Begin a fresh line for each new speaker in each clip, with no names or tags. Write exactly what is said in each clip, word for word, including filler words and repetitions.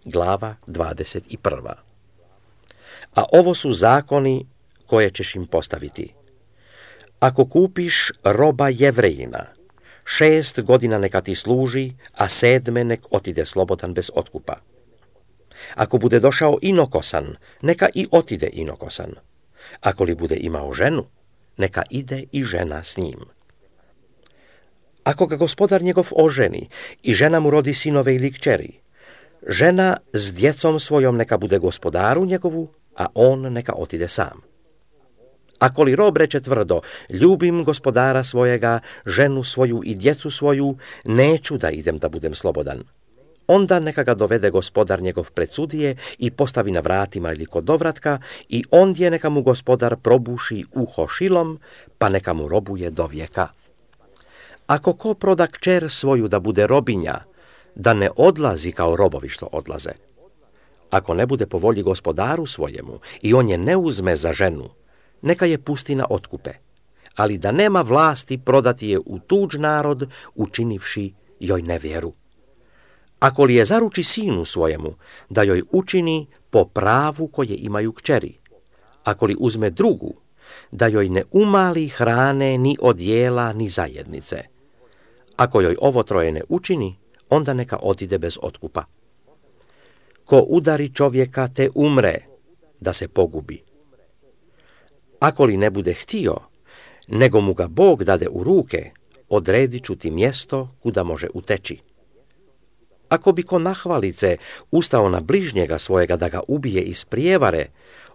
glava dvadeset prva. A ovo su zakoni koje ćeš im postaviti. Ako kupiš roba Jevrejina, šest godina neka ti služi, a sedme nek otide slobodan bez otkupa. Ako bude došao inokosan, neka i otide inokosan. Ako li bude imao ženu, neka ide i žena s njim. Ako ga gospodar njegov oženi i žena mu rodi sinove ili kćeri, žena s djecom svojom neka bude gospodaru njegovu, a on neka otide sam. Ako li rob reče tvrdo, ljubim gospodara svojega, ženu svoju i djecu svoju, neću da idem da budem slobodan, onda neka ga dovede gospodar njegov pred sudije i postavi na vratima ili kod dovratka i ondje neka mu gospodar probuši uho šilom, pa neka mu robuje do vijeka. Ako ko proda kćer svoju da bude robinja, da ne odlazi kao robovi što odlaze. Ako ne bude po volji gospodaru svojemu i on je ne uzme za ženu, neka je pusti na otkupe, ali da nema vlasti prodati je u tuđ narod, učinivši joj nevjeru. Ako li je zaruči sinu svojemu, da joj učini po pravu koje imaju kćeri, ako li uzme drugu, da joj ne umali hrane ni odjela ni zajednice. Ako joj ovo troje ne učini, onda neka otide bez otkupa. Ko udari čovjeka te umre, da se pogubi. Ako li ne bude htio, nego mu ga Bog dade u ruke, odredit ću ti mjesto kuda može uteći. Ako bi ko nahvalice ustao na bližnjega svojega da ga ubije iz prijevare,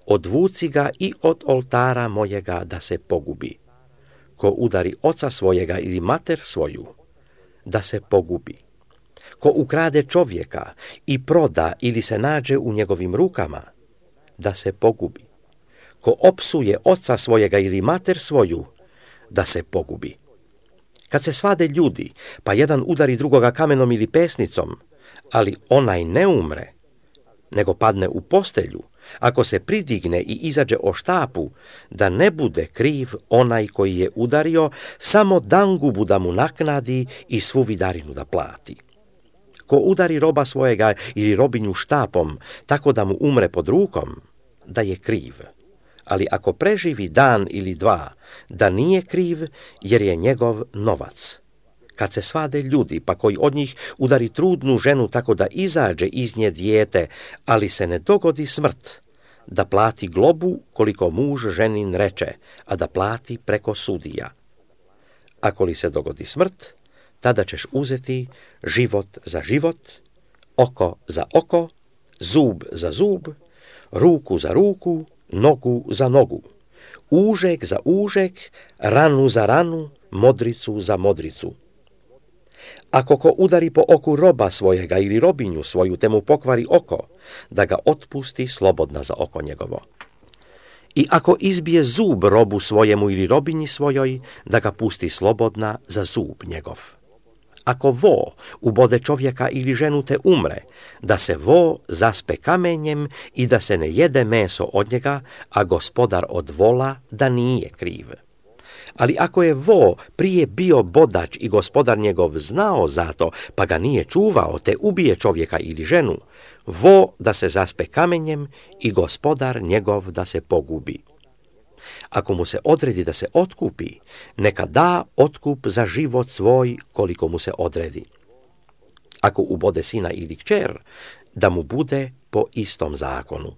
odvuci ga i od oltara mojega da se pogubi. Ko udari oca svojega ili mater svoju, da se pogubi. Ko ukrade čovjeka i proda ili se nađe u njegovim rukama, da se pogubi. Ko opsuje oca svojega ili mater svoju, da se pogubi. Kad se svade ljudi, pa jedan udari drugoga kamenom ili pesnicom, ali onaj ne umre, nego padne u postelju, ako se pridigne i izađe o štapu, da ne bude kriv onaj koji je udario, samo dangubu da mu naknadi i svu vidarinu da plati. Ko udari roba svojega ili robinju štapom, tako da mu umre pod rukom, da je kriv. Ali ako preživi dan ili dva, da nije kriv, jer je njegov novac. Kad se svade ljudi, pa koji od njih udari trudnu ženu tako da izađe iz nje dijete, ali se ne dogodi smrt, da plati globu koliko muž ženin reče, a da plati preko sudija. Ako li se dogodi smrt, tada ćeš uzeti život za život, oko za oko, zub za zub, ruku za ruku, nogu za nogu, užek za užek, ranu za ranu, modricu za modricu. Ako ko udari po oku roba svojega ili robinju svoju, te mu pokvari oko, da ga otpusti slobodna za oko njegovo. I ako izbije zub robu svojemu ili robinji svojoj, da ga pusti slobodna za zub njegov. Ako vo ubode čovjeka ili ženu te umre, da se vo zaspe kamenjem i da se ne jede meso od njega, a gospodar od vola da nije kriv. Ali ako je vo prije bio bodač i gospodar njegov znao za to, pa ga nije čuvao, te ubije čovjeka ili ženu, vo da se zaspe kamenjem i gospodar njegov da se pogubi. Ako mu se odredi da se otkupi, neka da otkup za život svoj koliko mu se odredi. Ako ubode sina ili kćer, da mu bude po istom zakonu.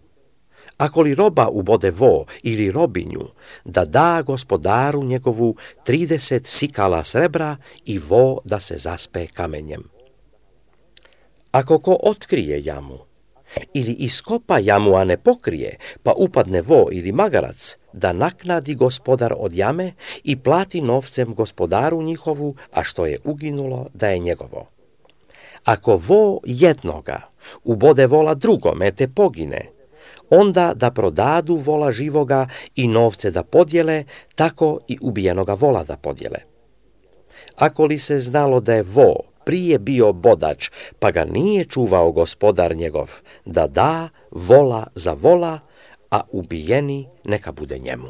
Ako li roba ubode vo ili robinju, da da gospodaru njegovu trideset sikala srebra i vo da se zaspe kamenjem. Ako ko otkrije jamu, ili iskopa jamu, a ne pokrije, pa upadne vo ili magarac, da naknadi gospodar od jame i plati novcem gospodaru njihovu, a što je uginulo da je njegovo. Ako vo jednoga ubode vola drugome te pogine, onda da prodadu vola živoga i novce da podjele, tako i ubijenoga vola da podjele. Ako li se znalo da je vo prije bio bodač, pa ga nije čuvao gospodar njegov, da da vola za vola, a ubijeni neka bude njemu.